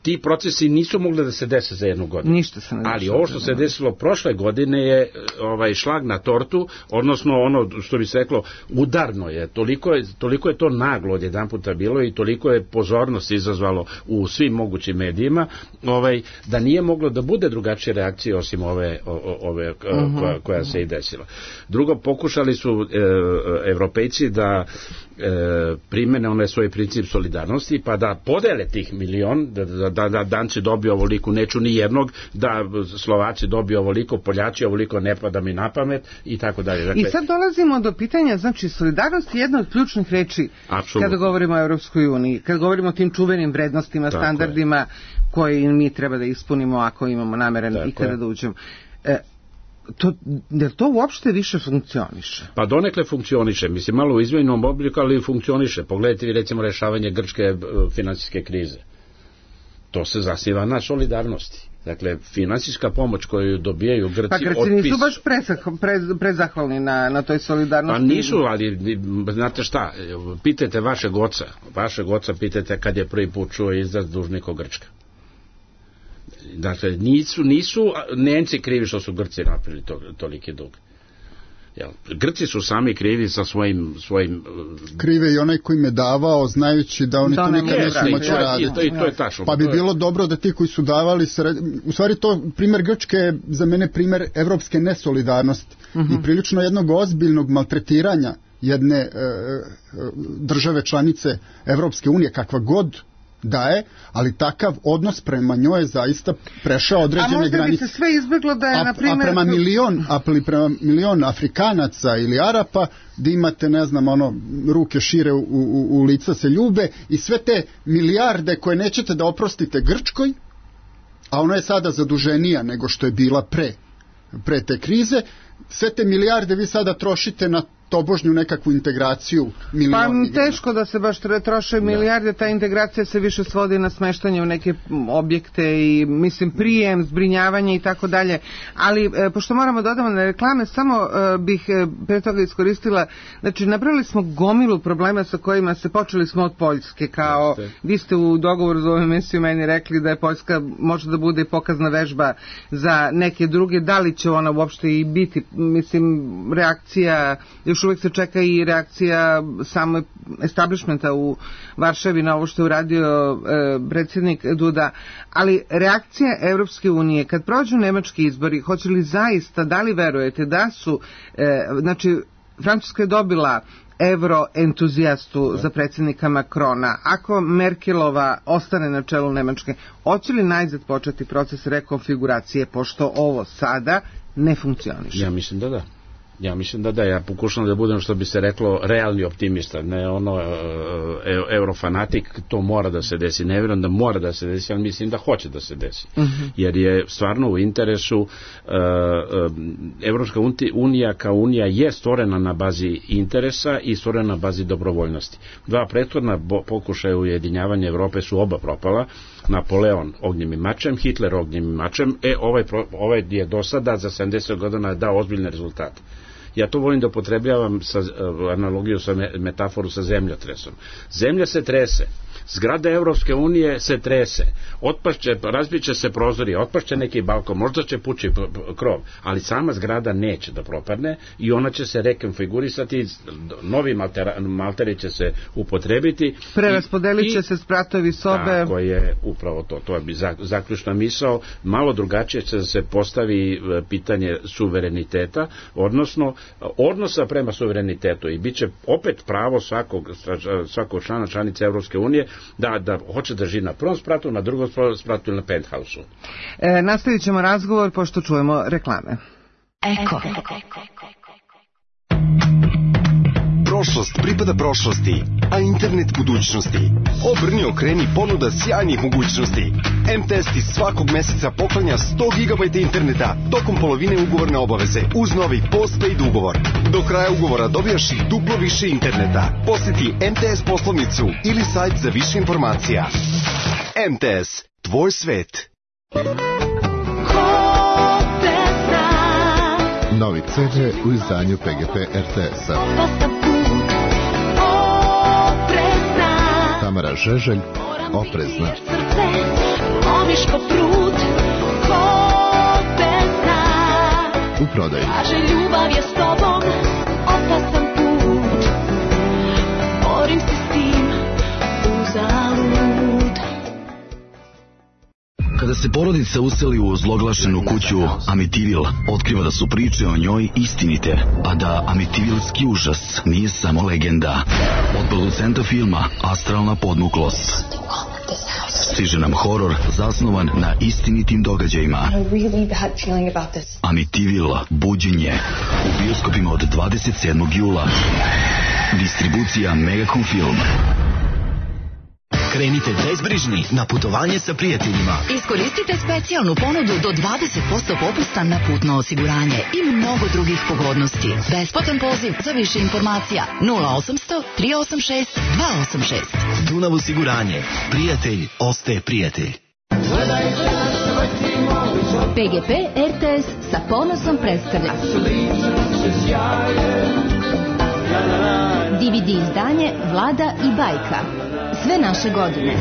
ti procesi nisu mogli da se dese za jednu godinu. Ništa se ne desilo. Ali ovo što se desilo prošle godine je šlag na tortu, odnosno ono što bi se reklo udarno je. Toliko je to naglo jedan puta bilo i toliko je pozornost izazvalo u svim mogućim medijima, da nije moglo da bude drugačije reakcije osim ove koja se i desila. Drugo, pokušali su Evropejci da primene onaj svoj princip solidarnosti, pa da podele tih 1 milion, da Danci dobiju ovoliko, neću ni jednog, da Slovaci dobiju ovoliko, Poljaci ovoliko, ne pada mi na pamet i tako dalje. Dakle, i sad dolazimo do pitanja, znači solidarnost je jedna od ključnih reči kada govorimo o Europskoj uniji, kada govorimo o tim čuvenim vrednostima, standardima koje mi treba da ispunimo ako imamo nameren ikada da uđemo. Jer to uopšte više funkcioniše? Pa donekle funkcioniše, mislim malo u izmenjenom obliku, ali funkcioniše. Pogledajte vi recimo rešavanje grčke finansijske krize. To se zasniva na solidarnosti. Dakle, finansijska pomoć koju dobijaju Grci... Pa Grci nisu baš prezahvalni na toj solidarnosti. Pa nisu, ali znate šta, pitajte vašeg oca pitajte kad je prvi put čuo izraz dužnika Grčka. Dakle, nisu Nemci krivi što su Grci napravili toliki dug. Grci su sami krivi sa svojim... Krive i onaj koji im je davao, znajući da oni to nikad neće moći raditi. To je tačno. Pa bi bilo dobro da ti koji su davali... U stvari to, primjer Grčke je za mene primjer evropske nesolidarnosti i prilično jednog ozbiljnog maltretiranja jedne države članice Evropske unije, kakva god da je, ali takav odnos prema njoj je zaista prešao određene granice. A možda bi se sve izbjeglo da je, na primjer... prema milion Afrikanaca ili Arapa, da imate, ne znam, ruke šire u lica se ljube i sve te milijarde koje nećete da oprostite Grčkoj, a ona je sada zaduženija nego što je bila pre te krize, sve te milijarde vi sada trošite na tobožnju nekakvu integraciju milioni. Pa teško da se baš troše milijarde, ta integracija se više svodi na smeštanje u neke objekte i mislim prijem, zbrinjavanje i tako dalje, ali pošto moramo dodamo na reklame, samo bih pre toga iskoristila, znači napravili smo gomilu problema sa kojima se počeli smo od Poljske, kao vi ste u dogovoru za ovu emisiju meni rekli da je Poljska može da bude pokazna vežba za neke druge, da li će ona uopšte i biti, mislim reakcija, još uvijek se čeka i reakcija samo establishmenta u Varšavi na ovo što je uradio predsjednik Duda, ali reakcija Evropske unije kad prođu nemački izbori, hoće li zaista, da li verujete da su, znači Francuska je dobila euroentuzijastu za predsjednika Macrona, ako Merkelova ostane na čelu Nemačke, hoće li najzad početi proces rekonfiguracije, pošto ovo sada ne funkcioniše? Ja mislim da da. Ja pokušam da budem, što bi se reklo, realni optimista, ne ono eurofanatik, to mora da se desi, ne vjerujem da mora da se desi, ali mislim da hoće da se desi, jer je stvarno u interesu, Evropska unija kao unija je stvorena na bazi interesa i stvorena na bazi dobrovoljnosti. Dva prethodna pokušaja ujedinjavanja Evrope su oba propala, Napoleon ognjem i mačem, Hitler ognjem i mačem, ovaj je do sada za 70 godina dao ozbiljne rezultate. Ja to volim da upotrebljavam sa analogiju, sa metaforu sa zemljotresom. Zemlja se trese, zgrada Evropske unije se trese, razbiće se prozori, otpašće neki balkon, možda će pući krov, ali sama zgrada neće da propadne i ona će se rekonfigurisati, novi malteri će se upotrebiti. Preraspodelit će se spratovi sobe. Tako je, upravo to je zaključna misao, malo drugačije će se postavi pitanje suvereniteta, odnosno odnosa prema suverenitetu i bit će opet pravo svakog članice Evropske unije da hoće da živi na prvom spratu, na drugom spratu ili na penthausu. Nastavit ćemo razgovor pošto čujemo reklame. Eko. Prošlost pripada prošlosti, a internet budućnosti. Obrni, okreni, ponuda sjajnih mogućnosti. MTS ti svakog meseca poklanja 100 GB interneta tokom polovine ugovorne obaveze uz novi postpaid ugovor. Do kraja ugovora dobijaš i duplo više interneta. Posjeti MTS poslovnicu ili sajt za više informacija. MTS, tvoj svet. Novi CD u izdanju PGP RTS-a. Tamara Žeželj, Oprezna. U prodaju. Ljubav je s tobom, opasan put. Borim se s tim, uzalud. Kada se porodica useli u ozloglašenu kuću Amitivil, otkriva da su priče o njoj istinite, a da Amitivilski užas nije samo legenda. Od producenta filma Astralna podmuklost stiže nam horor zasnovan na istinitim događajima. Amitivil, buđenje, u bioskopima od 27. jula. Distribucija Megacom Film. Krenite bezbrižni na putovanje sa prijateljima. Iskoristite specijalnu ponudu do 20% popusta na putno osiguranje i mnogo drugih pogodnosti. Besplatan poziv za više informacija 0800 386 286. Dunav osiguranje. Prijatelj ostaje prijatelj. PGP RTS sa ponosom predstavlja DVD izdanje Vlada i bajka. Sve naše godine.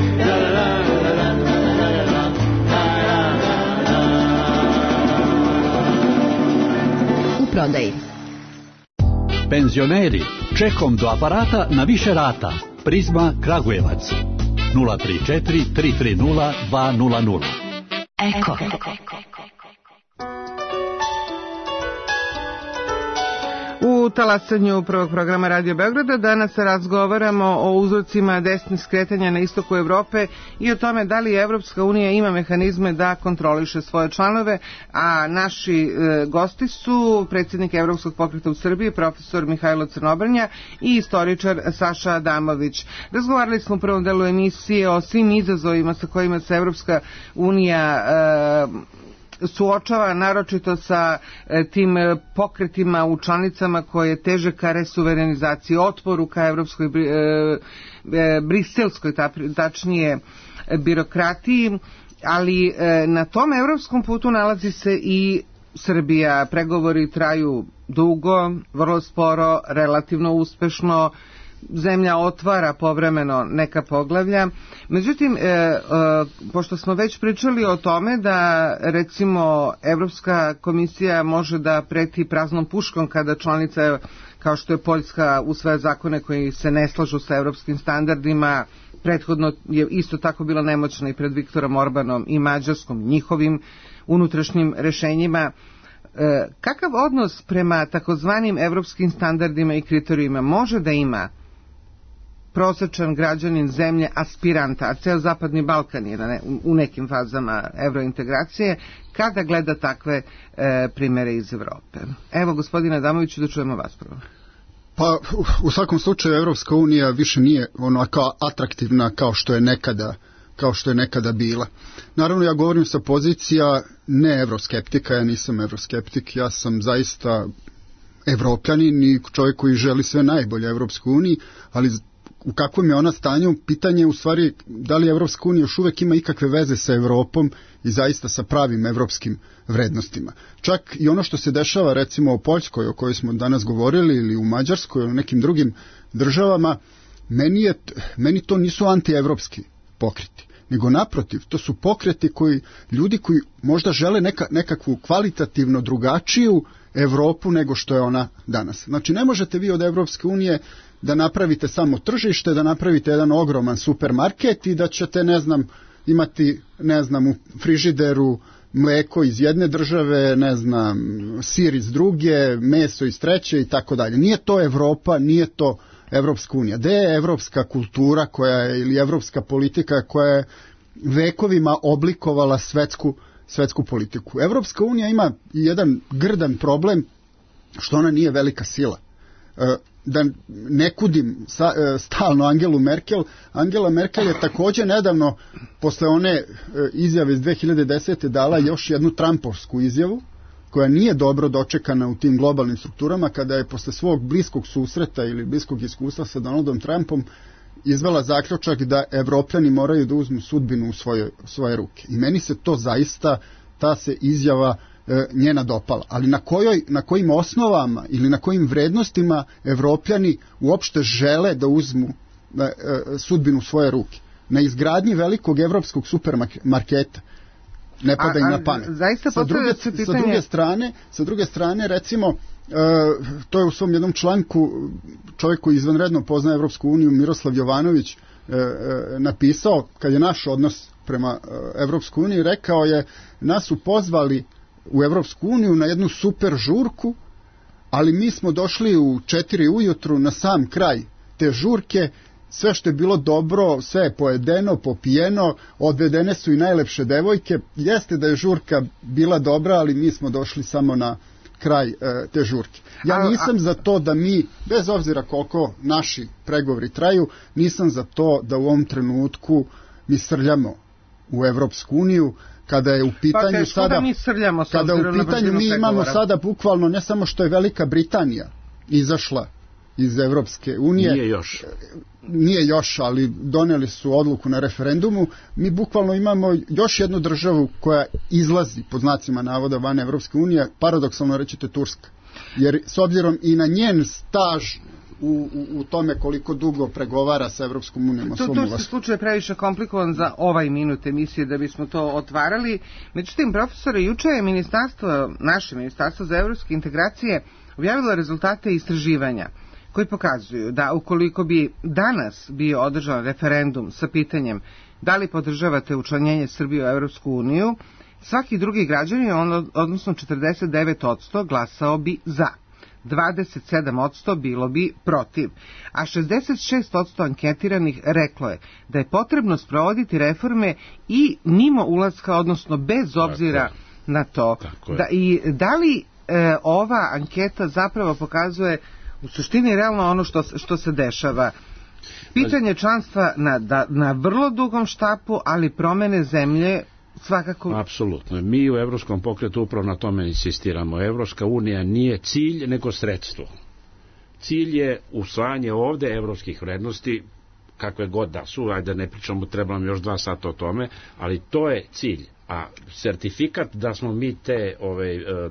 U prodaji. Penzioneri, čekom do aparata na više rata. Prizma Kragujevac 034 330 200. Eko. U talasanju prvog programa Radio Beograda danas razgovaramo o uzrocima desnih skretanja na istoku Evrope i o tome da li Evropska unija ima mehanizme da kontroliše svoje članove, a naši gosti su predsjednik Evropskog pokreta u Srbiji, profesor Mihajlo Crnobrnja i istoričar Saša Adamović. Razgovarali smo u prvom delu emisije o svim izazovima sa kojima se Evropska unija suočava naročito sa tim pokretima u članicama koje teže ka resuverenizaciji, otporu ka evropskoj, briselskoj tačnije birokratiji, ali na tom evropskom putu nalazi se i Srbija. Pregovori traju dugo, vrlo sporo, relativno uspešno, zemlja otvara povremeno neka poglavlja. Međutim, pošto smo već pričali o tome da recimo Evropska komisija može da preti praznom puškom kada članica kao što je Poljska usvaja zakone koji se ne slažu sa evropskim standardima, prethodno je isto tako bila nemoćna i pred Viktorom Orbanom i Mađarskom, njihovim unutrašnjim rešenjima. Kakav odnos prema takozvanim evropskim standardima i kriterijima može da ima prosečan građanin zemlje aspiranta, a ceo Zapadni Balkan je u nekim fazama evrointegracije, kada gleda takve primere iz Evrope? Evo, gospodine Adamoviću, da čujemo vas prvo. Pa, u svakom slučaju, Evropska unija više nije onako atraktivna kao što je nekada bila. Naravno, ja govorim sa pozicija ne evroskeptika, ja nisam evroskeptik, ja sam zaista evropljanin i čovjek koji želi sve najbolje Evropskoj uniji, ali u kakvom je ona stanju, pitanje je u stvari da li Evropska unija još uvek ima ikakve veze sa Evropom i zaista sa pravim evropskim vrednostima. Čak i ono što se dešava recimo u Poljskoj, o kojoj smo danas govorili, ili u Mađarskoj, ili u nekim drugim državama, meni to nisu antievropski pokreti, nego naprotiv, to su pokreti ljudi koji možda žele nekakvu kvalitativno drugačiju Evropu nego što je ona danas. Znači, ne možete vi od Evropske unije da napravite samo tržište, da napravite jedan ogroman supermarket i da ćete, imati, u frižideru mleko iz jedne države, sir iz druge, meso iz treće i tako dalje. Nije to Evropa, nije to Evropska unija. Gde je evropska kultura ili evropska politika koja je vekovima oblikovala svetsku politiku? Evropska unija ima jedan grdan problem što ona nije velika sila. Da ne kudim stalno Angelu Merkel. Angela Merkel je također nedavno, posle one izjave iz 2010. dala još jednu trumpovsku izjavu, koja nije dobro dočekana u tim globalnim strukturama, kada je posle svog bliskog susreta ili bliskog iskustva sa Donaldom Trumpom izvela zaključak da Evropljani moraju da uzmu sudbinu u svoje ruke. I meni se to zaista, ta se izjava njena dopala. Ali na kojim osnovama ili na kojim vrednostima Evropljani uopšte žele da uzmu sudbinu u svoje ruke? Na izgradnji velikog evropskog supermarketa ne pada im na pamet. Sa druge strane, recimo, to je u svom jednom članku čovjek koji izvanredno poznaje Evropsku uniju, Miroslav Jovanović, napisao, kad je naš odnos prema Evropskoj uniji, rekao je, nas su pozvali u Evropsku uniju na jednu super žurku, ali mi smo došli u 4 ujutru na sam kraj te žurke, sve što je bilo dobro, sve je pojedeno, popijeno, odvedene su i najlepše devojke. Jeste da je žurka bila dobra, ali mi smo došli samo na kraj te žurke. Ja nisam za to da mi, bez obzira koliko naši pregovori traju, nisam za to da u ovom trenutku mi srljamo u Evropsku uniju, kada je u pitanju mi imamo sada bukvalno ne samo što je Velika Britanija izašla iz Evropske unije. Nije još, ali doneli su odluku na referendumu. Mi bukvalno imamo još jednu državu koja izlazi, pod znacima navoda, van Evropske unije, paradoksalno rećete Turska. Jer s obzirom i na njen staž u tome koliko dugo pregovara sa Evropskom unijom. Turski slučaj je previše komplikovan za ovaj minut emisije da bismo to otvarali. Međutim, profesore, juče je naše ministarstvo za evropske integracije objavilo rezultate istraživanja koji pokazuju da ukoliko bi danas bio održan referendum sa pitanjem da li podržavate učlanjenje Srbije u Evropsku uniju, svaki drugi građanin, odnosno 49%, glasao bi za. 27% bilo bi protiv, a 66% anketiranih reklo je da je potrebno sprovoditi reforme i mimo ulaska, odnosno bez obzira na to. Da li ova anketa zapravo pokazuje u suštini realno ono što se dešava? Pitanje članstva na vrlo dugom štapu, ali promene zemlje svakako... Apsolutno. Mi u Evropskom pokretu upravo na tome insistiramo. Evropska unija nije cilj, nego sredstvo. Cilj je usvajanje ovde evropskih vrednosti, kakve god da su, ajde ne pričamo, treba nam još 2 sata o tome, ali to je cilj. A sertifikat da smo mi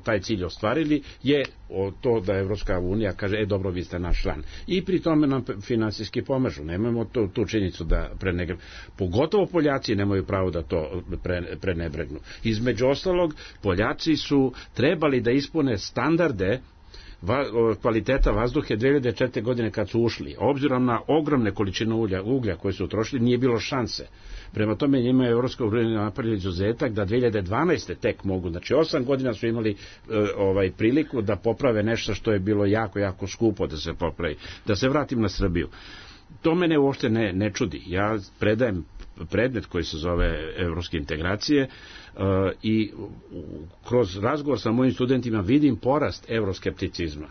taj cilj ostvarili je to da Evropska unija kaže, dobro, vi ste naš član. I pri tome nam finansijski pomažu. Nemojmo tu činjenicu da prenebregnu. Pogotovo Poljaci nemaju pravo da to prenebregnu. Između ostalog, Poljaci su trebali da ispune standarde kvaliteta vazduhe 2004. godine kad su ušli. Obzirom na ogromne količine uglja koje su utrošili, nije bilo šanse. Prema tome njima je Evropska unija napravila izuzetak da 2012. tek mogu, znači 8 godina su imali priliku da poprave nešto što je bilo jako, jako skupo da se popravi. Da se vratim na Srbiju. To mene uopšte ne čudi. Ja predajem predmet koji se zove evropske integracije i kroz razgovor sa mojim studentima vidim porast evroskepticizma.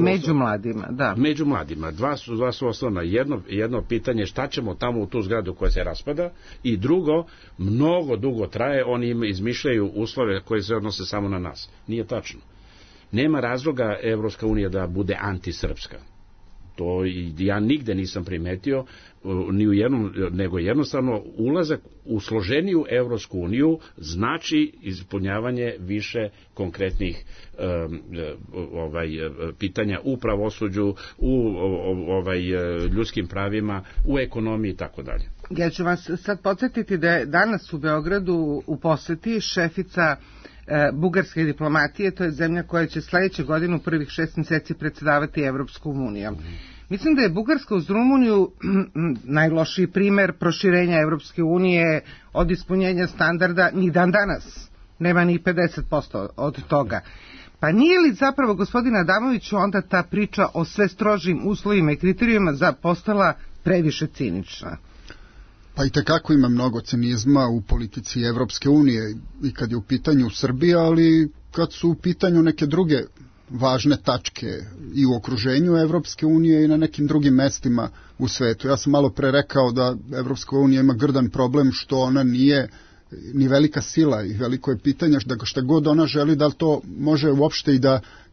Među mladima, da. Među mladima. Dva su osnovna. Jedno pitanje šta ćemo tamo u tu zgradu koja se raspada i drugo, mnogo dugo traje, oni izmišljaju uslove koje se odnose samo na nas. Nije tačno. Nema razloga Evropska unija da bude antisrpska. To ja nigde nisam primetio, ni u jednom, nego jednostavno ulazak u složeniju Evropsku uniju znači ispunjavanje više konkretnih pitanja u pravosuđu, u ljudskim pravima, u ekonomiji i tako dalje. Ja ću vas sad podsjetiti da je danas u Beogradu u poseti šefica bugarske diplomatije, to je zemlja koja će sledeće godine u prvih 6 meseci predsedavati Evropskom unijom. Mislim da je Bugarska uz Rumuniju najlošiji primer proširenja Evropske unije od ispunjenja standarda ni dan danas. Nema ni 50% od toga. Pa nije li zapravo, gospodine Adamoviću, onda ta priča o sve strožim uslovima i kriterijuma postala previše cinična? Pa i tekako ima mnogo cinizma u politici Evropske unije i kad je u pitanju Srbija, ali kad su u pitanju neke druge važne tačke i u okruženju Evropske unije i na nekim drugim mestima u svetu. Ja sam malo pre rekao da Evropska unija ima grdan problem što ona nije ni velika sila i veliko je pitanje da šta god ona želi da li to može uopšte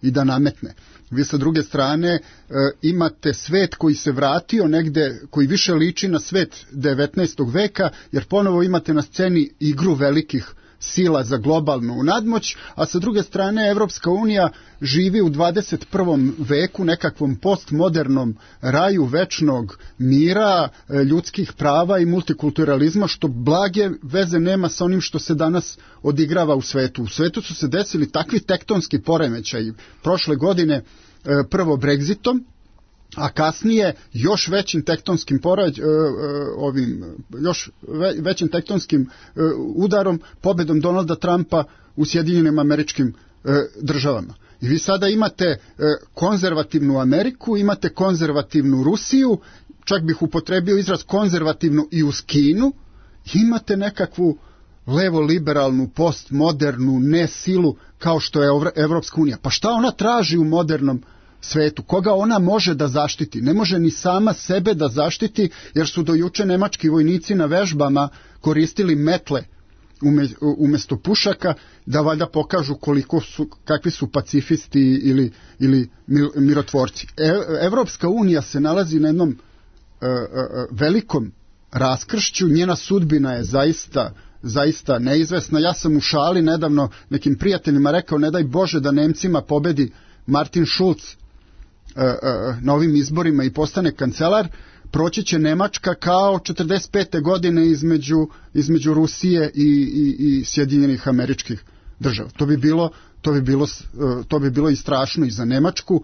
i da nametne. Vi sa druge strane imate svet koji se vratio negde, koji više liči na svet 19. veka, jer ponovo imate na sceni igru velikih sila za globalnu nadmoć, a sa druge strane Evropska unija živi u 21. veku nekakvom postmodernom raju večnog mira, ljudskih prava i multikulturalizma, što blage veze nema sa onim što se danas odigrava u svetu. U svetu su se desili takvi tektonski poremećaji prošle godine, prvo Brexitom, a kasnije još većim tektonskim većim tektonskim udarom, pobedom Donalda Trumpa u Sjedinjenim Američkim Državama. I vi sada imate konzervativnu Ameriku, imate konzervativnu Rusiju, čak bih upotrebio izraz konzervativnu i uz Kinu, imate nekakvu levo-liberalnu, postmodernu nesilu kao što je Evropska unija. Pa šta ona traži u modernom svetu? Koga ona može da zaštiti? Ne može ni sama sebe da zaštiti, jer su do juče nemački vojnici na vežbama koristili metle umesto pušaka, da valjda pokažu kakvi su pacifisti ili mirotvorci. Evropska unija se nalazi na jednom velikom raskršću, njena sudbina je zaista neizvesna. Ja sam u šali nedavno nekim prijateljima rekao, ne daj Bože da Nemcima pobedi Martin Schulz na ovim izborima i postane kancelar, proći će Nemačka kao 45. godine između Rusije i Sjedinjenih Američkih Država. To bi bilo i strašno i za Nemačku,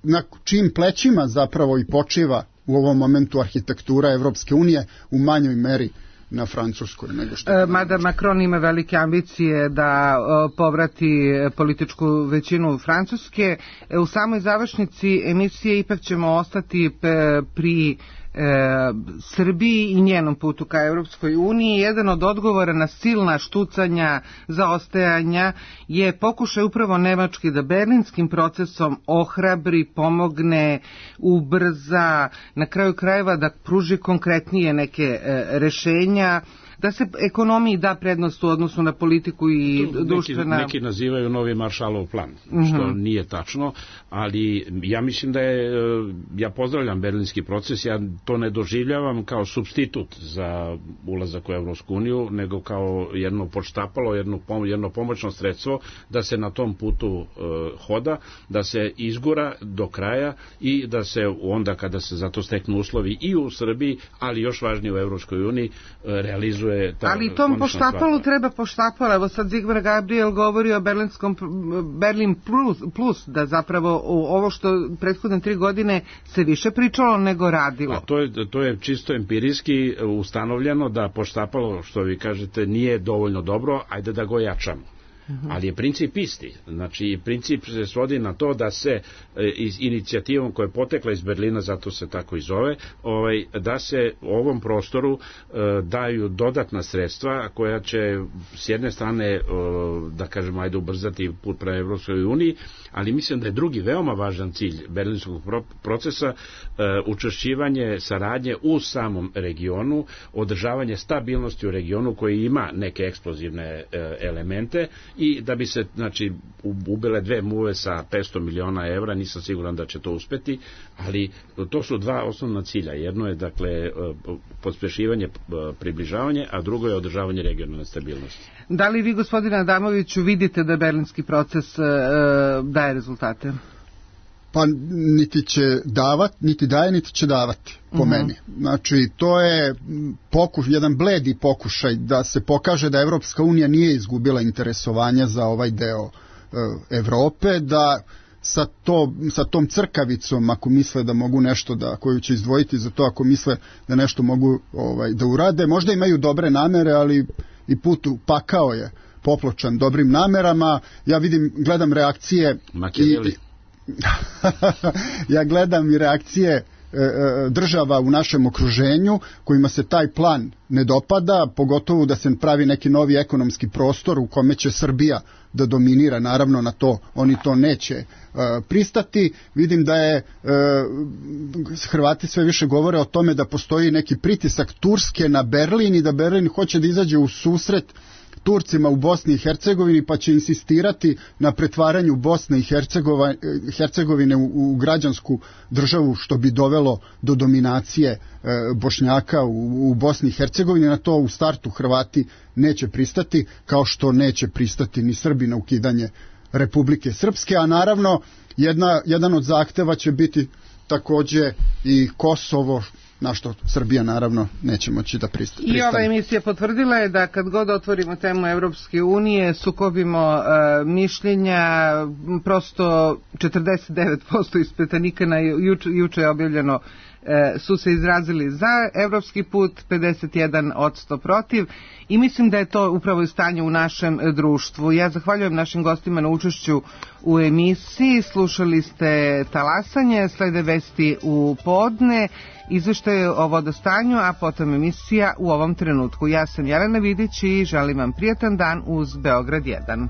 na čijim plećima zapravo i počiva u ovom momentu arhitektura Evropske unije, u manjoj meri na Francuskoj nego što... Mada Macron ima velike ambicije da povrati političku većinu Francuske. U samoj završnici emisije ipak ćemo ostati pri Srbiji i njenom putu ka Evropskoj uniji. Jedan od odgovora na silna štucanja, zaostajanja je pokušaj upravo Nemački da berlinskim procesom ohrabri, pomogne, ubrza, na kraju krajeva da pruži konkretnije neke rešenja. da se ekonomiji da prednost u odnosu na politiku i društvena... Neki nazivaju novi Maršalov plan, što nije tačno, ali ja mislim da ja pozdravljam berlinski proces, ja to ne doživljavam kao supstitut za ulazak u Evropsku uniju, nego kao jedno podštapalo, jedno pomoćno sredstvo da se na tom putu hoda, da se izgura do kraja i da se onda kada se za to steknu uslovi i u Srbiji, ali još važnije u Evropskoj uniji, realizuje ta... Ali tom poštapalu treba poštapala. Evo sad Zigmar Gabriel govori o Berlin plus, da zapravo ovo što prethodne 3 godine se više pričalo nego radilo. A to je čisto empirijski ustanovljeno da poštapalo, što vi kažete, nije dovoljno dobro, ajde da go jačamo. Ali je princip isti. Znači, princip se svodi na to da se inicijativom koja je potekla iz Berlina, zato se tako i zove, da se ovom prostoru daju dodatna sredstva koja će s jedne strane, da kažemo, ajde ubrzati put prema Evropskoj uniji, ali mislim da je drugi veoma važan cilj berlinskog procesa učvršćivanje saradnje u samom regionu, održavanje stabilnosti u regionu koji ima neke eksplozivne elemente i da bi se, znači, ubile 2 muve sa 500 miliona evra, nisam siguran da će to uspeti, ali to su 2 osnovna cilja. Jedno je, dakle, pospešivanje, približavanje, a drugo je održavanje regionalne stabilnosti. Da li vi, gospodine Adamoviću, vidite da berlinski proces daje rezultate? Pa niti će davati, niti daje, niti će davati, po meni. Znači, to je jedan bledi pokušaj da se pokaže da Evropska unija nije izgubila interesovanja za ovaj deo Evrope, da sa tom crkavicom, ako misle da mogu nešto koju će izdvojiti za to, ako misle da nešto mogu da urade, možda imaju dobre namere, ali i put u pakao je popločan dobrim namerama. Ja gledam reakcije ja gledam i reakcije država u našem okruženju kojima se taj plan ne dopada, pogotovo da se pravi neki novi ekonomski prostor u kome će Srbija da dominira, naravno na to oni to neće pristati. Vidim da Hrvati sve više govore o tome da postoji neki pritisak Turske na Berlin i da Berlin hoće da izađe u susret Turcima u Bosni i Hercegovini, pa će insistirati na pretvaranju Bosne i Hercegovine u građansku državu, što bi dovelo do dominacije Bošnjaka u Bosni i Hercegovini. Na to u startu Hrvati neće pristati, kao što neće pristati ni Srbi na ukidanje Republike Srpske, a naravno jedan od zahteva će biti takođe i Kosovo, na što Srbija naravno neće moći da pristane. I ova emisija potvrdila je da kad god otvorimo temu Evropske unije, sukobimo mišljenja, prosto 49% ispitanika juče je objavljeno su se izrazili za evropski put, 51% protiv, i mislim da je to upravo i stanje u našem društvu. Ja zahvaljujem našim gostima na učešću u emisiji. Slušali ste Talasanje, slede vesti u podne, izveštaje o vodostanju, a potom emisija U ovom trenutku. Ja sam Jelena Vidić i želim vam prijatan dan uz Beograd 1.